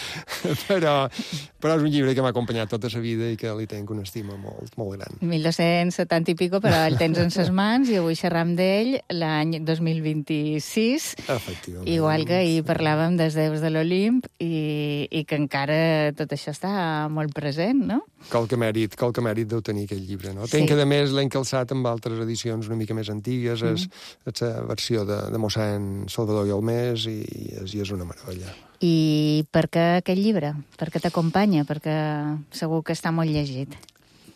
però és un llibre que m'ha acompanyat tota la vida i que li tenc una estima molt, molt gran. 1270 i pico, però el tens en ses mans i avui xerram d'ell l'any 2026. Efectivament. Igual que ahir parlàvem dels déus de l'Olimp i que encara tot això està molt present, no? Qualque mèrit deu tenir aquest llibre, no? Sí. Tenc que, a més, l'he encalçat amb altres edicions una mica més antigues, és la versió de mossèn Salvador Guilmés i és una meravella. I per què aquest llibre? Per què t'acompanya? Perquè segur que està molt llegit.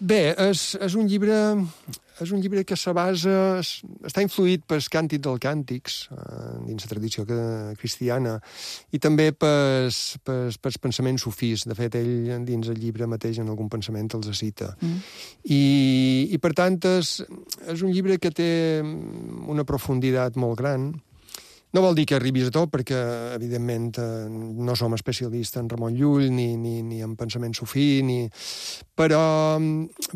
Bé, és un llibre que se basa... Està influït pels càntics dels càntics, dins la tradició cristiana, i també pels pensaments sufís. De fet, ell, dins el llibre mateix, en algun pensament els cita. I per tant, és un llibre que té una profunditat molt gran. No vol dir que arribis a tot, perquè, evidentment, no som especialistes en Ramon Llull ni en pensament sufí, però,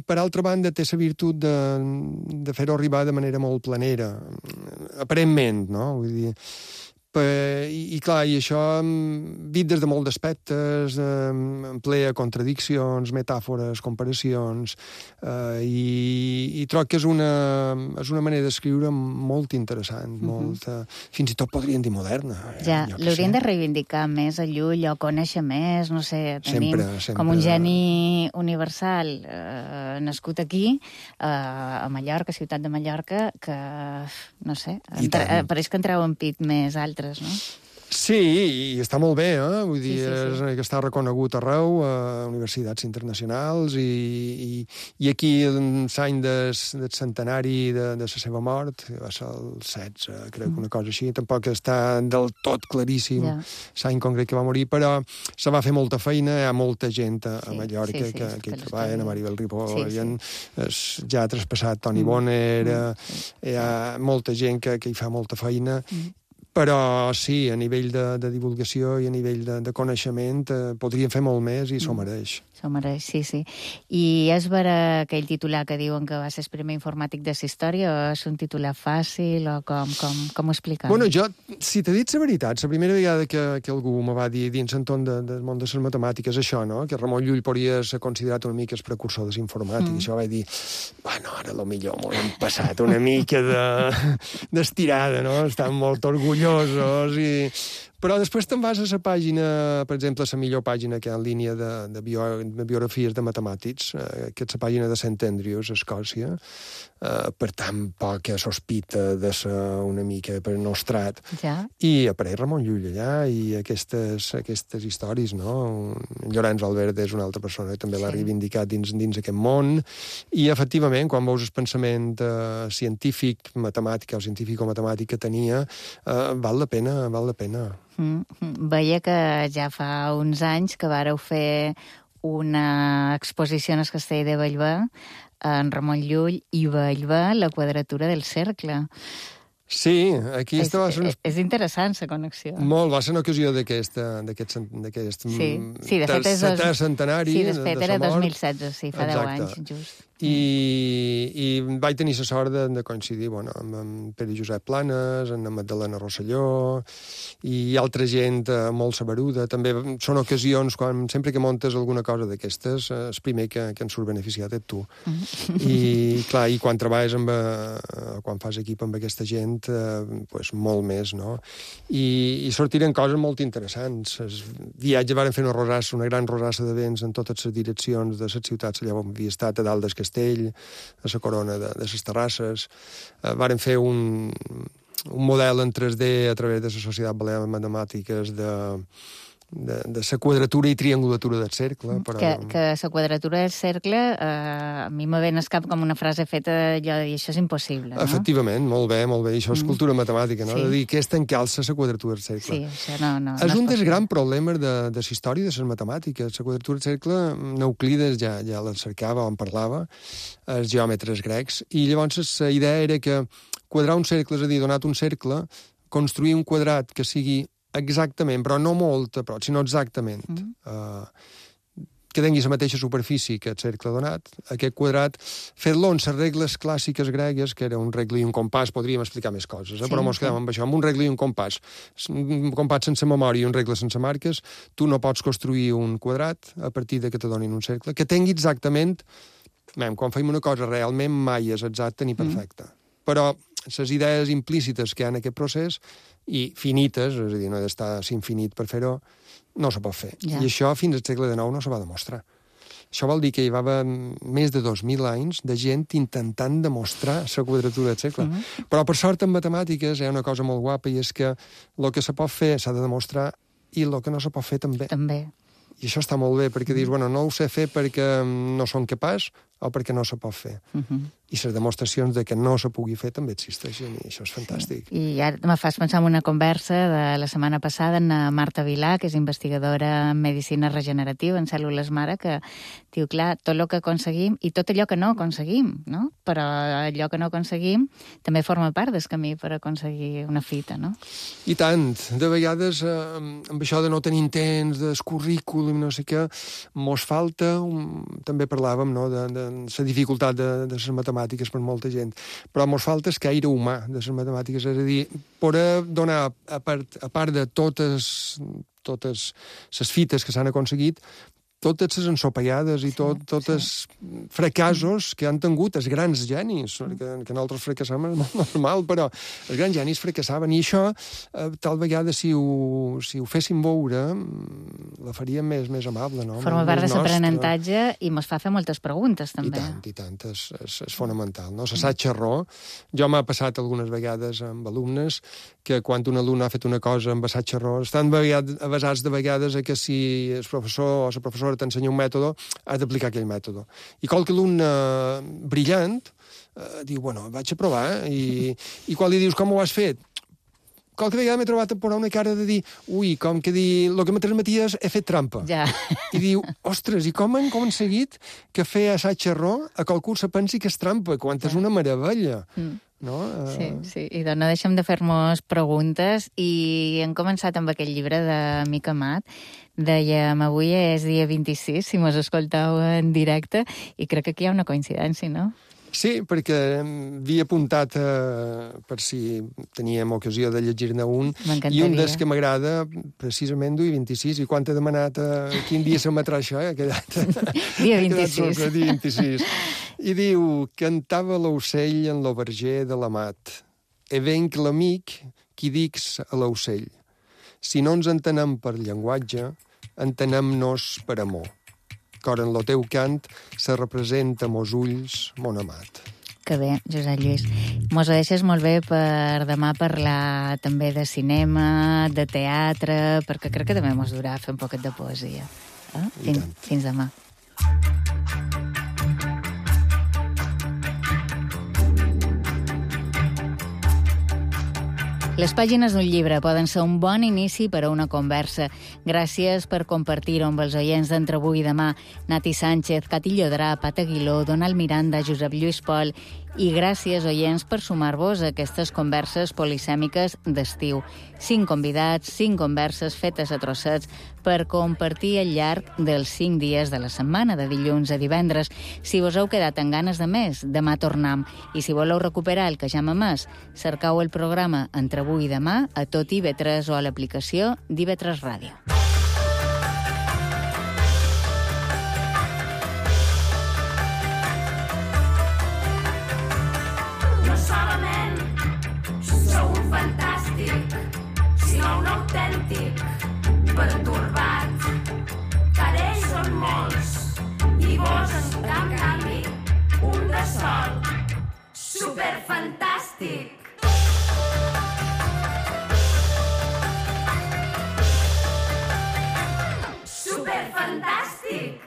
per altra banda, té la virtut de fer-ho arribar de manera molt planera, aparentment, no? Vull dir, i clar, i això dit des de molts aspectes, emplea contradiccions, metàfores, comparacions, i troc que és una manera d'escriure molt interessant, molt, fins i tot podríem dir moderna. Ja, l'haurien de reivindicar més a Llull o conèixer més, no sé, tenim sempre. Com un geni universal nascut aquí, a Mallorca, ciutat de Mallorca, que, no sé, pareix que en treuen pit més altres. No? Sí, i està molt bé, vull dir, sí. Que està reconegut arreu, a universitats internacionals, i aquí l'any del centenari de la seva mort, va ser el 16, crec que una cosa així, tampoc està del tot claríssim l'any concret que va morir, però se va fer molta feina, hi ha molta gent a Mallorca que hi treballa, a Maribel Ripoll, ja ha traspassat Toni Bonner, hi ha molta gent que hi fa molta feina, però sí, a nivell de divulgació i a nivell de coneixement podríem fer molt més i s'ho mereix. S'ho mereix, sí. I és vera aquell titular que diuen que va ser el primer informàtic de la història, o és un titular fàcil, o com ho explicar? Bueno, jo, si t'he dit la veritat, la primera vegada que algú me va dir dins l'entorn del món de les matemàtiques això, no? Que Ramon Llull podria ser considerat una mica el precursor de l'informàtic, això vaig dir, bueno, ara potser m'ho hem passat una mica d'estirada, no? Estan molt orgullosos però després te'n vas a la pàgina, per exemple, la millor pàgina que hi ha en línia de biografies de matemàtics, que és la pàgina de St. Andrews, a Escòcia, per tant, poca sospita de ser una mica per nostrat. I apareix Ramon Llull allà, i aquestes històries, no? Llorenç Albert és una altra persona que també l'ha reivindicat dins aquest món, i efectivament, quan veus el pensament científic, matemàtic o científico-matemàtic que tenia, val la pena. Veia que ja fa uns anys que vàreu fer una exposició en el castell de Bellver, en Ramon Llull i Bellver, la quadratura del cercle. Sí, aquí és interessant, la connexió. Molt, va ser una ocasió d'aquest sí, de fet setè centenari de sa mort. Sí, de fet era 2016, sí, fa 10 anys, just. I vaig tenir la sort de coincidir amb en Pere Josep Planes, en Magdalena Rosselló i altra gent molt saberuda. També són ocasions, sempre que montes alguna cosa d'aquestes, el primer que en surt beneficiat ets tu. I, clar, i quan treballes quan fas equip amb aquesta gent, pues, molt més, no? I sortiren coses molt interessants. El viatge varen fer una gran rosassa de vents en totes les direccions de les ciutats allà on havia estat, a dalt del castell, a la corona de les terrasses. Varen fer un model en 3D a través de la Societat Balear de Matemàtiques de la quadratura i triangulatura del cercle. Però... Que la quadratura del cercle, a mi me ven al cap com una frase feta allò de dir això és impossible, no? Efectivament, molt bé, i això és cultura matemàtica, no? Sí. De dir que és tancar-se la quadratura del cercle. Sí, això no és un dels grans problemes de la història de les matemàtiques. La quadratura del cercle, Euclides ja la cercava, en parlava, els geòmetres grecs, i llavors la idea era que quadrar un cercle, és a dir, donat un cercle, construir un quadrat que sigui exactament, però no molt a prop, sinó exactament, que tingui la mateixa superfície que el cercle donat, aquest quadrat, fer-lo en les regles clàssiques gregues, que era un regle i un compàs, podríem explicar més coses, però mos quedem amb això, amb un regle i un compàs sense memòria i un regle sense marques, tu no pots construir un quadrat a partir de que te donin un cercle, que tingui exactament, quan feim una cosa realment mai és exacta ni perfecta, però les idees implícites que hi ha en aquest procés i finites, és a dir, no ha d'estar infinit per fer-ho, no se pot fer. Ja. I això fins al segle XIX no se va demostrar. Això vol dir que hi va haver més de 2.000 anys de gent intentant demostrar la quadratura del cercle. Però, per sort, en matemàtiques hi ha una cosa molt guapa i és que el que se pot fer s'ha de demostrar i el que no se pot fer també. I això està molt bé, perquè dius, no ho sé fer perquè no som capaç o perquè no se pot fer. I les demostracions de que no se pugui fer també existeixen, i això és fantàstic. I ara me fas pensar en una conversa de la setmana passada amb Marta Vilà, que és investigadora en medicina regenerativa, en cèl·lules mare, que diu, clar, tot el que aconseguim i tot allò que no aconseguim, no? Però allò que no aconseguim també forma part del camí per aconseguir una fita, no? I tant. De vegades, amb això de no tenir temps, del currículum, no sé què, mos falta, també parlàvem, no?, de la dificultat de les matemàtiques per molta gent, però mos falta el caire humà de les matemàtiques, és a dir, poder donar, a part de totes les fites que s'han aconseguit, totes les ensopegades i tots els fracassos que han tingut els grans genis, que nosaltres fracassam és molt normal, però els grans genis fracassaven, i això, tal vegada, si ho féssim veure, la faríem més amable, no? Forma part de l'aprenentatge i mos fa fer moltes preguntes, també. I tant, és fonamental, no? L'assaig error. Jo m'ha passat algunes vegades amb alumnes que quan un alumne ha fet una cosa amb assaig error, estan avasats de vegades a que si el professor o la professora t'ensenya un mètode, has d'aplicar aquell mètode. I qualque alumne brillant diu, vaig a provar, i quan li dius com ho has fet, qualque vegada m'he trobat a posar una cara de dir, com que dir, el que me transmeties he fet trampa. Ja. I diu, ostres, i com han aconseguit que fer assaig-error a qualcú se pensi que és trampa, quan és una meravella. No? Sí, i no deixem de fer-nos preguntes, i hem començat amb aquell llibre de Mica Amat. Dèiem, avui és dia 26, si mos escoltau en directe, i crec que aquí hi ha una coincidència, no? Sí, perquè havia apuntat per si teníem ocasió de llegir-ne un, i un dels que m'agrada, precisament, duia 26, i quan t'he demanat quin dia s'emetrà això, ha quedat... Dia 26. Dia 26. I diu, cantava l'ocell en lo verger de l'amat, e venc l'amic qui dix a l'ocell. Si no ens entenem per llenguatge, entenem-nos per amor. Cor en lo teu cant se representa mos ulls, mon amat. Que bé, Josep Lluís. Mos ho deixes molt bé per demà parlar també de cinema, de teatre, perquè crec que també mos durà fer un poquet de poesia. Fins demà. Les pàgines d'un llibre poden ser un bon inici per a una conversa. Gràcies per compartir-ho amb els oients d'Entre avui i demà. Nati Sánchez, Cati Llodrà, Pat Aguiló, Donald Miranda, Josep Lluís Pol. I gràcies, oients, per sumar-vos a aquestes converses polisèmiques d'estiu. 5 convidats, 5 converses fetes a trossets per compartir al llarg dels 5 dies de la setmana, de dilluns a divendres. Si vos heu quedat amb ganes de més, demà tornam. I si voleu recuperar el que ja hem emès, cercau el programa Entre avui i demà a tot IB3 o a l'aplicació d'IB3 Ràdio. No solament sou un fantàstic, sinó un autèntic pertorbat, que ells són molts i vos, en canvi, un de sol, superfantàstic. Superfantàstic.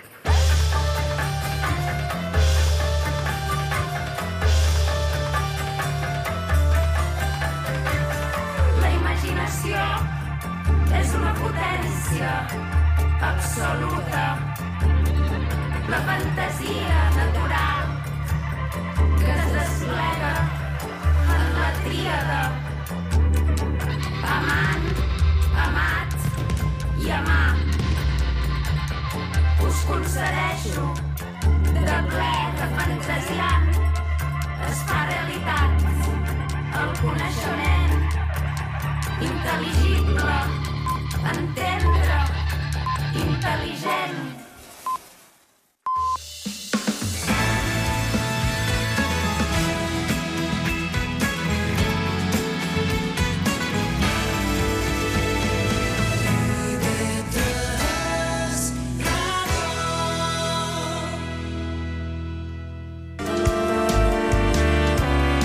La imaginació és una potència absoluta. La fantasia natural que es desplega en la tríada amant, amat i amar. Us concedeixo de ple, de fantasiant, es fa realitat el coneixement intel·ligible, entendre, intel·ligent.